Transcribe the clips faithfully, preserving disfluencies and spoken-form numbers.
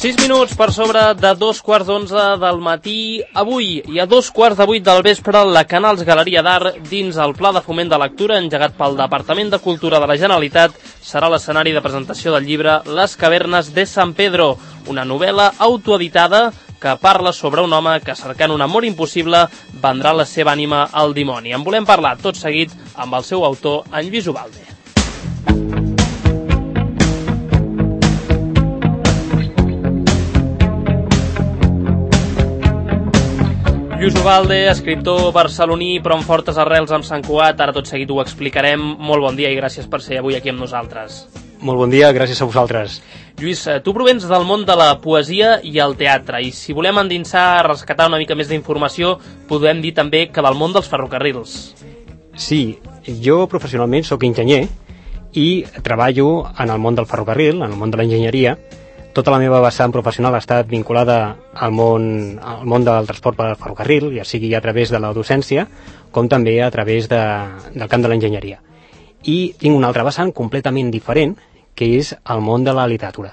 sis minuts per sobre de dos quarts d'onze del matí. Avui i a dos quarts de vuit del vespre, la Canals Galeria d'Art, dins el Pla de Foment de Lectura engegat pel Departament de Cultura de la Generalitat, serà l'escenari de presentació del llibre Les cavernes de San Pedro, una novel·la autoeditada que parla sobre un home que, cercant un amor impossible, vendrà la seva ànima al dimoni. En volem parlar tot seguit amb el seu autor, en Lluís Ubalde. Lluís Ubalde, escriptor barceloní però amb fortes arrels amb Sant Cugat. Ara tot seguit ho explicarem. Molt bon dia i gràcies per ser avui aquí amb nosaltres. Molt bon dia, gràcies a vosaltres. Lluís, tu provens del món de la poesia i el teatre, i si volem endinsar, rescatar una mica més d'informació, podem dir també que del món dels ferrocarrils. Sí, jo professionalment sóc enginyer i treballo en el món del ferrocarril, en el món de l'enginyeria. Tota la meva vessant professional ha estat vinculada al món, al món del transport per ferrocarril, ja sigui a través de la docència, com també a través de, del camp de l'enginyeria. I tinc una altra vessant completament diferent, que és el món de la literatura,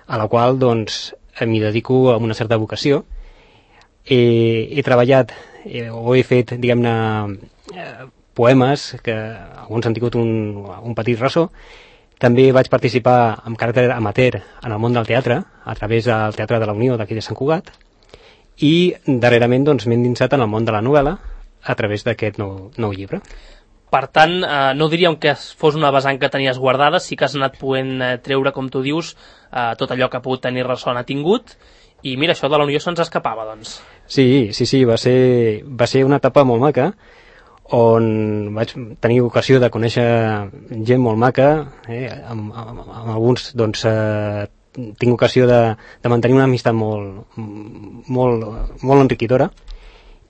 a la qual doncs m'hi dedico amb una certa vocació. He, he treballat, eh, o he fet, diguem-ne, eh, poemes, que alguns han tingut un, un petit ressò. També vaig participar amb caràcter amateur en el món del teatre, a través del Teatre de la Unió d'aquí de Sant Cugat, i darrerament doncs, m'he endinsat en el món de la novel·la a través d'aquest nou, nou llibre. Per tant, eh, no diríem que fos una vessant que tenies guardada, sí que has anat podent eh, treure, com tu dius, eh, tot allò que ha pogut tenir ressò n'ha tingut, i mira, això de la Unió se'ns escapava, doncs. Sí, sí, sí, va ser, va ser una etapa molt maca, on vaig tenir ocasió de conèixer gent molt maca, eh, amb, amb, amb alguns doncs, eh, tinc ocasió de, de mantenir una amistat molt, molt, molt enriquidora,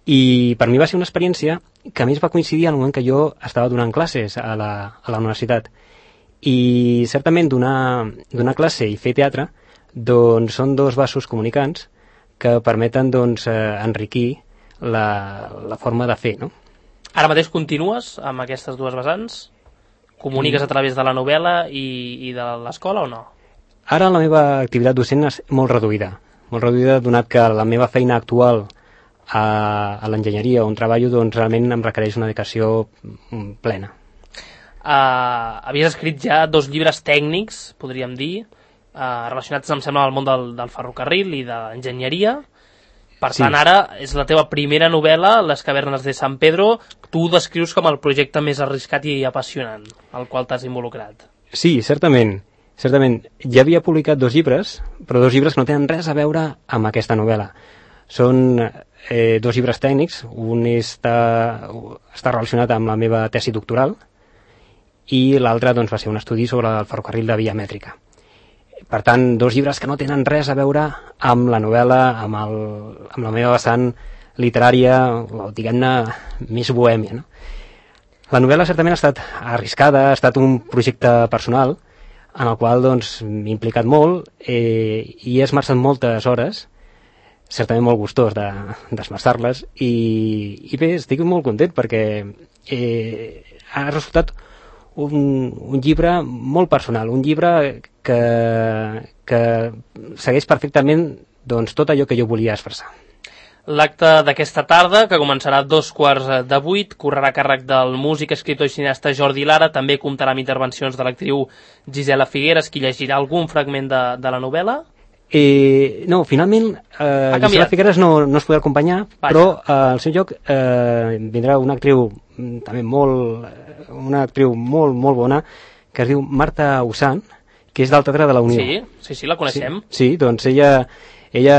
i per mi va ser una experiència que a més va coincidir en el moment que jo estava donant classes a la, a la universitat, i certament donar, donar classe i fer teatre doncs, són dos vasos comunicants que permeten doncs, eh, enriquir la, la forma de fer, no? Ara mateix continues amb aquestes dues vessants? Comuniques a través de la novel·la i, i de l'escola o no? Ara la meva activitat docent és molt reduïda, molt reduïda donat que la meva feina actual a, a l'enginyeria on treballo doncs realment em requereix una dedicació plena. Uh, havies escrit ja dos llibres tècnics, podríem dir, uh, relacionats, em sembla, al món del, del ferrocarril i de l'enginyeria. Per sí. Tant, ara és la teva primera novel·la, Les cavernes de San Pedro. Tu ho descrius com el projecte més arriscat i apassionant al qual t'has involucrat. Sí, certament. Certament. Ja havia publicat dos llibres, però dos llibres que no tenen res a veure amb aquesta novel·la. Són eh, dos llibres tècnics. Un està, està relacionat amb la meva tesi doctoral i l'altre doncs, va ser un estudi sobre el ferrocarril de via mètrica. Per tant, dos llibres que no tenen res a veure amb la novel·la, amb, el, amb la meva vessant literària, o diguem-ne, més bohèmia, no? La novel·la certament ha estat arriscada, ha estat un projecte personal en el qual doncs, m'he implicat molt eh, i he esmerçat moltes hores, certament molt gustós de, d'esmerçar-les, i, i bé, estic molt content perquè eh, ha resultat Un, un llibre molt personal, un llibre que, que segueix perfectament doncs, tot allò que jo volia expressar. L'acte d'aquesta tarda, que començarà a dos quarts de vuit, correrà a càrrec del músic, escriptor i cineasta Jordi Lara. També comptarà amb intervencions de l'actriu Gisela Figueres, qui llegirà algun fragment de, de la novel·la. Eh, no, finalment eh, Gisela Figueres no, no es podrà acompanyar, Vaja. Però eh, al seu lloc eh, vindrà una actriu també molt, una actriu molt, molt bona, que es diu Marta Usant, que és del Teatre de la Unió. Sí, sí, sí, la coneixem. Sí, sí, doncs ella, ella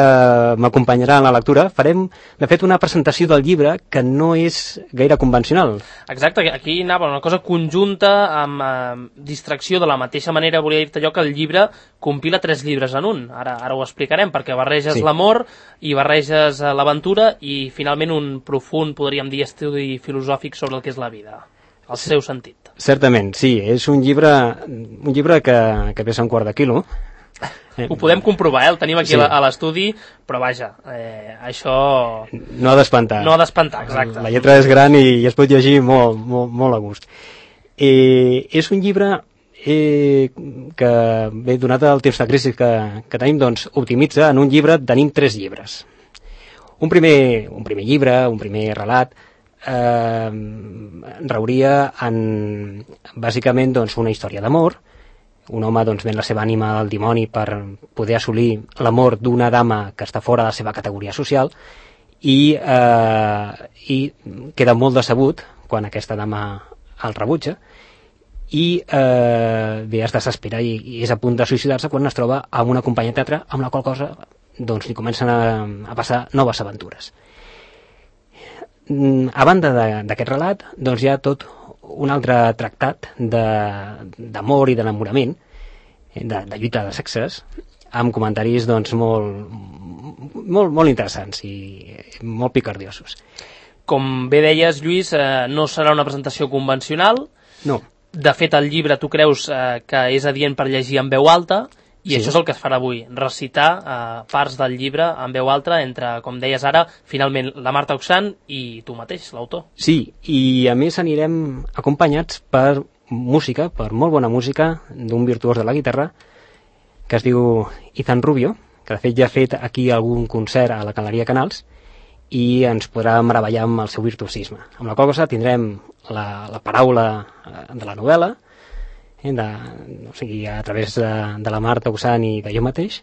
m'acompanyarà en la lectura. Farem, de fet, una presentació del llibre que no és gaire convencional. Exacte, aquí anava una cosa conjunta amb eh, distracció, de la mateixa manera volia dir-te allò que el llibre compila tres llibres en un. Ara, ara ho explicarem, perquè barreges sí. l'amor i barreges l'aventura i finalment un profund, podríem dir, estudi filosòfic sobre el que és la vida, el seu sentit. Certament, sí, és un llibre, un llibre que, que pesa un quart de quilo. Eh, Ho podem comprovar, eh? El tenim aquí sí. a l'estudi, però vaja, eh, això... No ha d'espantar. No ha d'espantar, exacte. La lletra és gran i es pot llegir molt, molt, molt a gust. Eh, és un llibre eh, que, bé, donat el temps de crisi que, que tenim, doncs, optimitza. En un llibre tenim tres llibres. Un primer, un primer llibre, un primer relat, eh, reuria en, bàsicament, doncs, una història d'amor. Un home, doncs, ven la seva ànima al dimoni per poder assolir l'amor d'una dama que està fora de la seva categoria social, i, eh, i queda molt decebut quan aquesta dama el rebutja, i eh, bé, es desespera i, i és a punt de suïcidar-se quan es troba amb una companya de teatre amb la qual cosa, doncs, li comencen a, a passar noves aventures. A banda d'aquest relat, doncs, hi ha tot un altre tractat d'amor i d'enamorament, de, de lluita de sexes, amb comentaris, doncs, molt, molt, molt interessants i molt picardiosos. Com bé deies, Lluís, eh, no serà una presentació convencional. No. De fet, el llibre tu creus eh, que és adient per llegir en veu alta, i sí. Això és el que es farà avui, recitar eh, parts del llibre en veu alta entre, com deies ara, finalment la Marta Oxant i tu mateix, l'autor. Sí, i a més anirem acompanyats per música, per molt bona música, d'un virtuós de la guitarra, que es diu Ethan Rubio, que de fet ja ha fet aquí algun concert a la Galeria Canals, i ens podrà meravellar amb el seu virtuosisme. Amb la qual cosa tindrem la, la paraula de la novel·la, eh, de, o sigui, a través de, de la Marta Oxant i de jo mateix,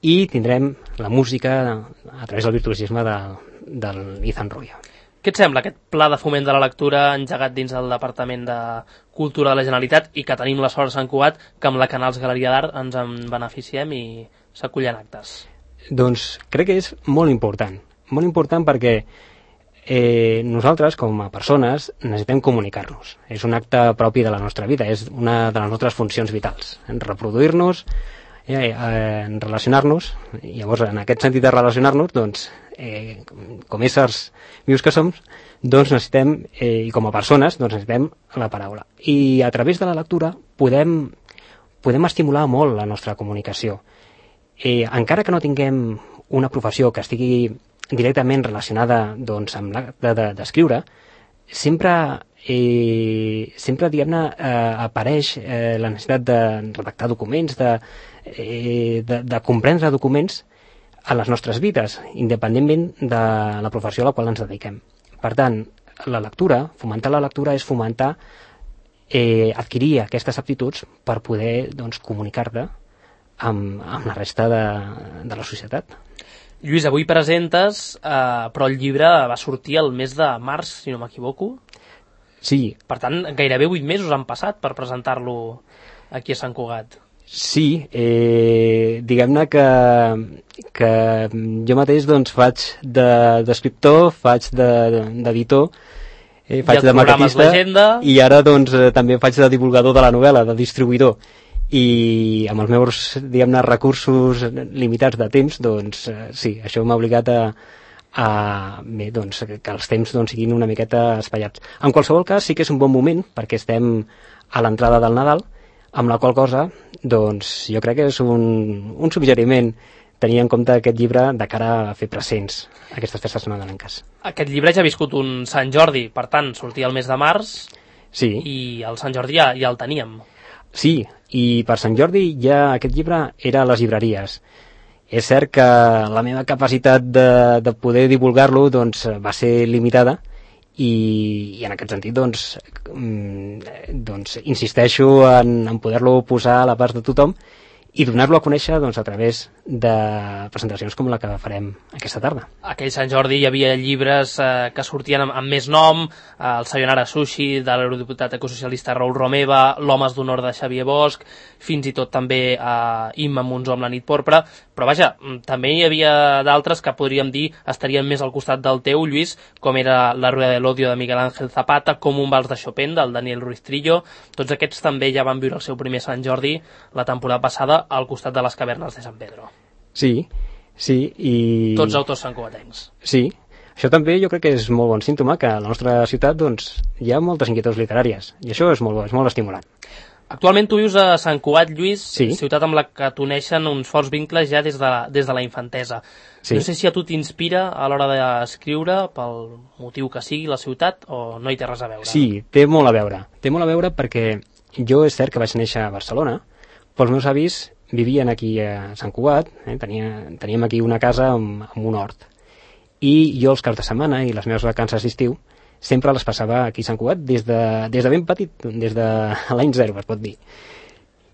i tindrem la música a través del virtuosisme de, del Ethan Rubio. Què et sembla aquest pla de foment de la lectura engegat dins del Departament de Cultura de la Generalitat i que tenim la sort a Sant Cugat que amb la Canals Galeria d'Art ens en beneficiem i s'acullen actes? Doncs crec que és molt important. Molt important perquè eh, nosaltres, com a persones, necessitem comunicar-nos. És un acte propi de la nostra vida, és una de les nostres funcions vitals. Reproduir-nos, eh, eh, relacionar-nos, i llavors, en aquest sentit de relacionar-nos, doncs, eh, com éssers vius que som, doncs necessitem, eh, i com a persones, doncs necessitem la paraula. I a través de la lectura podem, podem estimular molt la nostra comunicació. Eh, encara que no tinguem una professió que estigui directament relacionada, doncs, amb l'acte d'escriure, sempre, eh, sempre diguem-ne, eh, apareix eh, la necessitat de redactar documents, de, eh, de, de comprendre documents a les nostres vides, independentment de la professió a la qual ens dediquem. Per tant, la lectura, fomentar la lectura és fomentar, eh, adquirir aquestes aptituds per poder, doncs, comunicar-te amb, amb la resta de, de la societat. Lluís, avui presentes, eh, però el llibre va sortir el mes de març, si no m'equivoco. Sí. Per tant, gairebé vuit mesos han passat per presentar-lo aquí a Sant Cugat. Sí, eh, diguem-ne que, que jo mateix, doncs, faig d'escriptor, de, faig d'editor, eh, faig de maquetista, i ara, doncs, també faig de divulgador de la novel·la, de distribuïdor. I amb els meus, diguem-ne, recursos limitats de temps, doncs, eh, sí, això m'ha obligat a, a bé, doncs, que els temps, doncs, siguin una miqueta espaiats. En qualsevol cas, sí que és un bon moment, perquè estem a l'entrada del Nadal, amb la qual cosa, doncs, jo crec que és un, un suggeriment tenir en compte aquest llibre de cara a fer presents aquestes festes nadalenques. Aquest llibre ja ha viscut un Sant Jordi, per tant, sortia el mes de març, sí. I el Sant Jordi ja, ja el teníem. Sí, i per Sant Jordi ja aquest llibre era a les llibreries. És cert que la meva capacitat de, de poder divulgar-lo, doncs, va ser limitada, i, i en aquest sentit, doncs, doncs insisteixo en, en poder-lo posar a l'abast de tothom i donar-lo a conèixer, doncs, a través de presentacions com la que farem aquesta tarda. Aquell Sant Jordi hi havia llibres eh, que sortien amb, amb més nom, eh, el Sayonara Sushi, de l'eurodiputat ecosocialista Raül Romeva, l'Homes d'Honor de Xavier Bosch, fins i tot també eh, Imma Monzó amb la nit porpra, però vaja, també hi havia d'altres que podríem dir estarien més al costat del teu, Lluís, com era La Rueda de l'Odio de Miguel Ángel Zapata, com un vals de Chopin del Daniel Ruiz Trillo. Tots aquests també ja van viure el seu primer Sant Jordi la temporada passada al costat de les cavernes de San Pedro. Sí, sí, i... Tots autors santcugatencs. Sí, això també jo crec que és molt bon símptoma, que a la nostra ciutat, doncs, hi ha moltes inquietuds literàries, i això és molt bo, és molt estimulant. Actualment tu vius a Sant Cugat, Lluís, sí. Ciutat amb la que t'uneixen uns forts vincles ja des de la, des de la infantesa. Sí. No sé si a tu t'inspira a l'hora d'escriure, pel motiu que sigui la ciutat, o no hi té res a veure? Sí, té molt a veure. Té molt a veure perquè jo és cert que vaig néixer a Barcelona, però els meus avis vivien aquí a Sant Cugat, eh? Tenia, teníem aquí una casa amb, amb un hort. I jo els caps de setmana i les meves vacances d'estiu sempre les passava aquí a Sant Cugat des de, des de ben petit, des de l'any zero, es pot dir.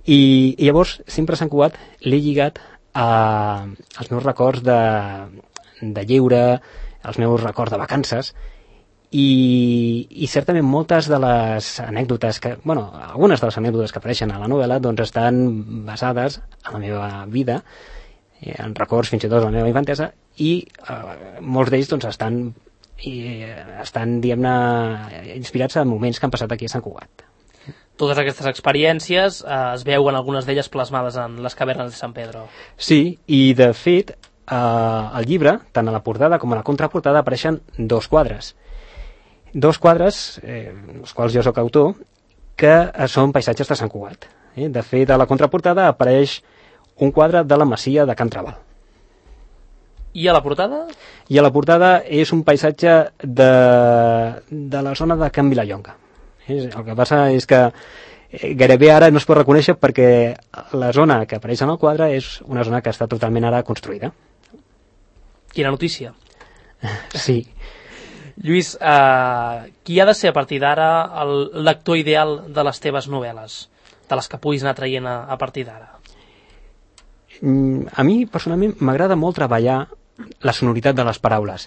I, i llavors sempre a Sant Cugat l'he lligat a, als meus records de, de lleure, als meus records de vacances, i, i certament moltes de les anècdotes que, bueno, algunes de les anècdotes que apareixen a la novel·la doncs estan basades en la meva vida, en records fins i tot de la meva infantesa, i eh, molts d'ells doncs estan i estan, diguem-ne, inspirats en moments que han passat aquí a Sant Cugat. Totes aquestes experiències eh, es veuen algunes d'elles plasmades en les cavernes de Sant Pedro. Sí, i de fet eh, al llibre, tant a la portada com a la contraportada, apareixen dos quadres. Dos quadres, eh, els quals jo sóc autor, que eh, són paisatges de Sant Cugat. Eh? De fet, a la contraportada apareix un quadre de la masia de Can Trabal. I a la portada? I a la portada és un paisatge de, de la zona de Can Vilallonga. El que passa és que gairebé ara no es pot reconèixer perquè la zona que apareix en el quadre és una zona que està totalment ara construïda. Quina notícia. Sí. Lluís, eh, qui ha de ser a partir d'ara el lector ideal de les teves novel·les? De les que puguis anar traient a, a partir d'ara? A mi, personalment, m'agrada molt treballar la sonoritat de les paraules.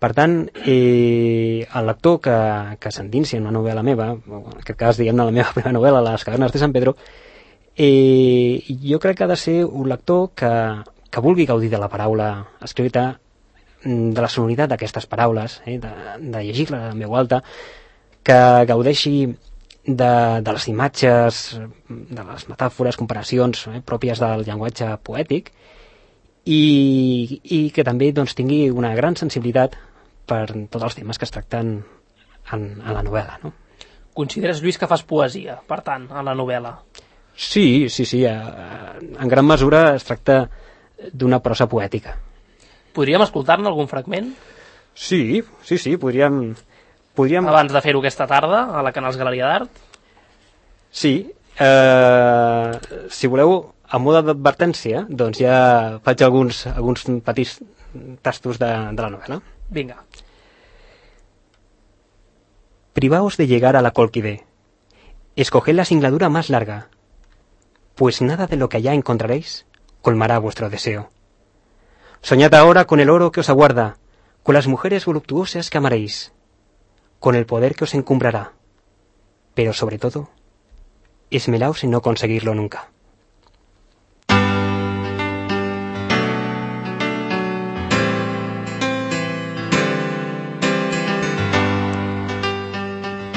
Per tant, eh, el lector que, que s'endinsi en una novel·la meva, en aquest cas, diguem-ne, la meva primera novel·la, Les cavernes de Sant Pedro, eh, jo crec que ha de ser un lector que, que vulgui gaudir de la paraula escrita, de la sonoritat d'aquestes paraules, eh, de, de llegir-la en veu alta, que gaudeixi de, de les imatges, de les metàfores, comparacions eh, pròpies del llenguatge poètic, i, i que també doncs, tingui una gran sensibilitat per tots els temes que es tracten en, en la novel·la. No? Consideres, Lluís, que fas poesia, per tant, en la novel·la? Sí, sí, sí. En gran mesura es tracta d'una prosa poètica. Podríem escoltar-ne algun fragment? Sí, sí, sí, podríem... podríem... Abans de fer-ho aquesta tarda, a la Canals Galeria d'Art? Sí. Eh, si voleu, a mode d'advertència, doncs ja faig alguns, alguns petits tastos de, de la novel·la. Vinga. Privaos de llegar a la Colquidé. Escoged la singladura más larga, pues nada de lo que allá encontraréis colmará vuestro deseo. Soñad ahora con el oro que os aguarda, con las mujeres voluptuosas que amaréis, con el poder que os encumbrará, pero sobre todo, esmelaos en no conseguirlo nunca.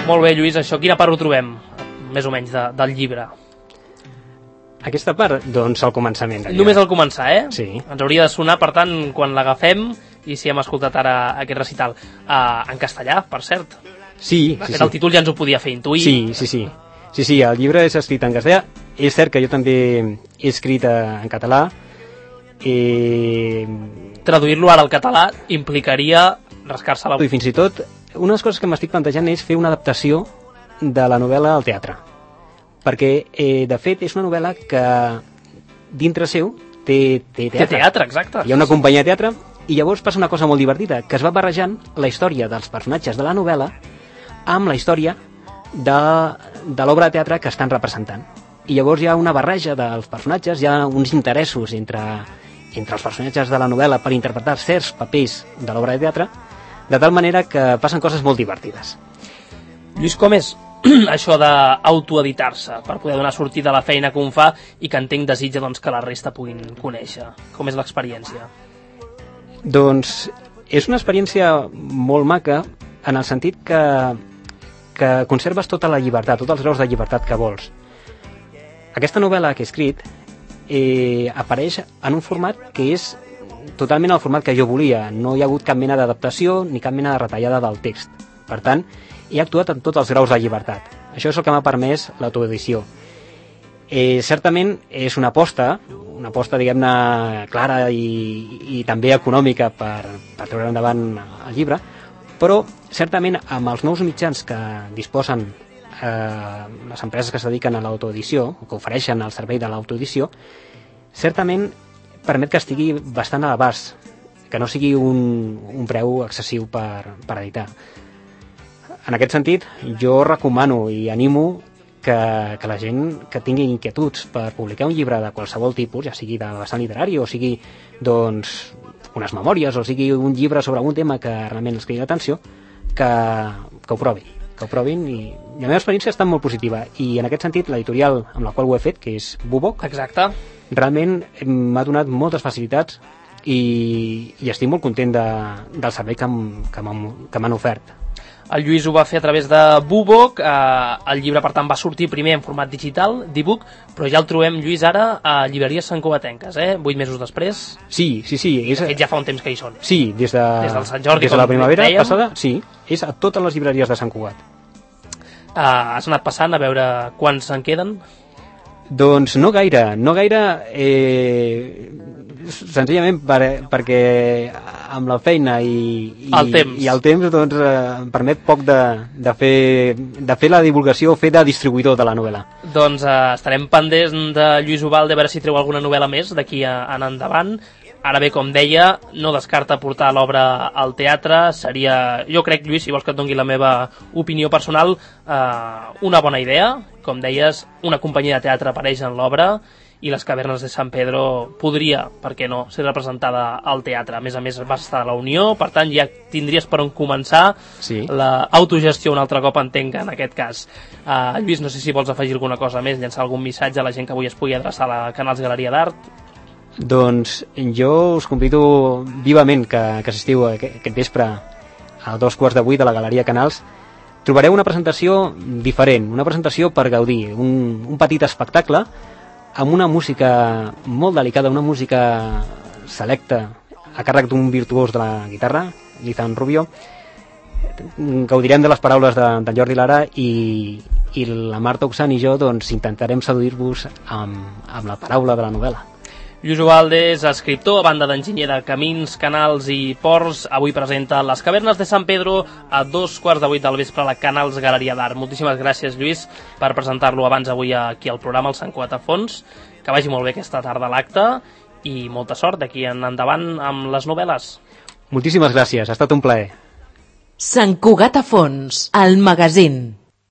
Molt bé, Lluís, això quina part ho trobem, més o menys, de, del llibre? Aquesta part, doncs, al començament. Només al començar, eh? Sí. Ens hauria de sonar, per tant, quan l'agafem, i si hem escoltat ara aquest recital. Uh, en castellà, per cert. Sí, de sí, fet, sí. El títol ja ens ho podia fer intuir. Sí, sí, sí. Sí, sí, el llibre és escrit en castellà. És cert que jo també he escrit en català. I... Traduir-lo ara al català implicaria rascar-se la... I fins i tot, una de les coses que m'estic plantejant és fer una adaptació de la novel·la al teatre. Perquè, eh, de fet, és una novel·la que dintre seu té, té teatre. Té teatre, exacte. Hi ha una companyia de teatre i llavors passa una cosa molt divertida, que es va barrejant la història dels personatges de la novel·la amb la història de, de l'obra de teatre que estan representant. I llavors hi ha una barreja dels personatges, hi ha uns interessos entre, entre els personatges de la novel·la per interpretar certs papers de l'obra de teatre, de tal manera que passen coses molt divertides. Lluís, com és això d'autoeditar-se per poder donar sortida a la feina que un fa i que entenc desitja doncs, que la resta puguin conèixer? Com és l'experiència? Doncs és una experiència molt maca en el sentit que, que conserves tota la llibertat, tots els graus de llibertat que vols. Aquesta novel·la que he escrit eh, apareix en un format que és totalment el format que jo volia. No hi ha hagut cap mena d'adaptació ni cap mena de retallada del text. Per tant, he actuat en tots els graus de llibertat. Això és el que m'ha permès l'autoedició. Eh, certament és una aposta, una aposta, diguem-ne, clara i, i també econòmica per, per treure endavant el llibre, però certament amb els nous mitjans que disposen eh, les empreses que es dediquen a l'autoedició, o que ofereixen el servei de l'autoedició, certament permet que estigui bastant a l'abast, que no sigui un, un preu excessiu per, per editar. En aquest sentit, jo recomano i animo que, que la gent que tingui inquietuds per publicar un llibre de qualsevol tipus, ja sigui de vessant literari o sigui doncs, unes memòries o sigui un llibre sobre algun tema que realment els cridi l'atenció, que, que ho provin, que ho provin i, i la meva experiència ha estat molt positiva i en aquest sentit l'editorial amb la qual ho he fet, que és Bubok, exacte, realment m'ha donat moltes facilitats i, i estic molt content de, del servei que, que m'han ofert. El Lluís ho va fer a través de Bubok, eh, el llibre per tant va sortir primer en format digital, d'e-book, però ja el trobem, Lluís, ara a llibreries santcugatenques, eh? Vuit mesos després. Sí, sí, sí. És... De fet, ja fa un temps que hi són. Sí, des de, des del Sant Jordi, des de la primavera dèiem. Passada, sí, és a totes les llibreries de Sant Cugat. Uh, has anat passant a veure quants se'n queden? Doncs no gaire, no gaire, eh, senzillament per, perquè amb la feina i, i, el temps, i el temps doncs, eh, em permet poc de, de, fer, de fer la divulgació o fer de distribuïdor de la novel·la. Doncs eh, estarem pendents de Lluís Ubalde a veure si treu alguna novel·la més d'aquí en endavant. Ara bé, com deia, no descarta portar l'obra al teatre. Seria, jo crec, Lluís, si vols que et doni la meva opinió personal, eh, una bona idea. Com deies, una companyia de teatre apareix en l'obra i les cavernes de San Pedro podria, per què no, ser representada al teatre. A més a més, va estar a la Unió, per tant, ja tindries per on començar. Sí. L'autogestió un altre cop, entenc, en aquest cas. Uh, Lluís, no sé si vols afegir alguna cosa més, llançar algun missatge a la gent que avui es pugui adreçar a la Canals Galeria d'Art. Doncs jo us convido vivament que, que assistiu aquest, aquest vespre a dos quarts de vuit a la Galeria Canals. Trobareu una presentació diferent, una presentació per gaudir, un, un petit espectacle amb una música molt delicada, una música selecta a càrrec d'un virtuós de la guitarra, Lizan Rubio. Gaudirem de les paraules de, de Jordi Lara i, i la Marta Oxan i jo doncs, intentarem seduir-vos amb, amb la paraula de la novel·la. Lluís Ubalde és escriptor, a banda d'enginyer de camins, canals i ports. Avui presenta Les cavernes de San Pedro a dos quarts de vuit del vespre a la Canals Galeria d'Art. Moltíssimes gràcies, Lluís, per presentar-lo abans avui aquí al programa, al Sant Cugat a Fons. Que vagi molt bé aquesta tarda a l'acte i molta sort d'aquí en endavant amb les novel·les. Moltíssimes gràcies, ha estat un plaer. Sant Cugat a Fons, el magazín.